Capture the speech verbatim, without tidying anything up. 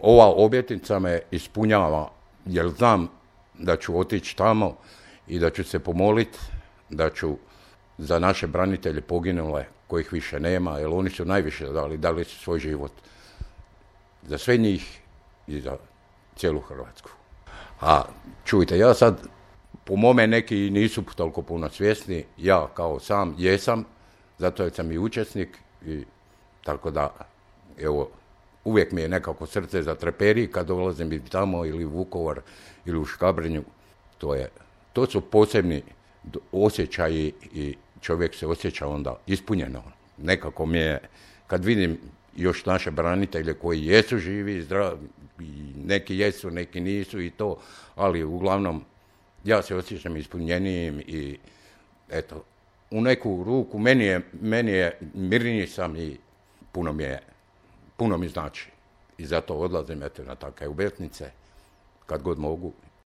ova obljetnica me ispunjava, jer znam da ću otići tamo i da ću se pomoliti, da ću za naše branitelje poginule, kojih više nema, jer oni su najviše dali, dali su svoj život za sve njih i za cijelu Hrvatsku. A čujte, ja sad, po mome neki nisu toliko puno svjesni, ja kao sam jesam, zato jer sam i učesnik, i tako da, evo, uvijek mi je nekako srce zatreperi kad dolazim i tamo, ili u Vukovar, ili u Škabrnju. To je, to su posebni osjećaji i čovjek se osjeća onda ispunjeno. Nekako mi je, kad vidim još naše branitelje koji jesu živi i zdravi, neki jesu, neki nisu i to, ali uglavnom ja se osjećam ispunjenijim i eto, u neku ruku meni je, meni je mirniji sam i puno mi je, puno mi znači. I zato odlazim eto na takve obljetnice kad god mogu.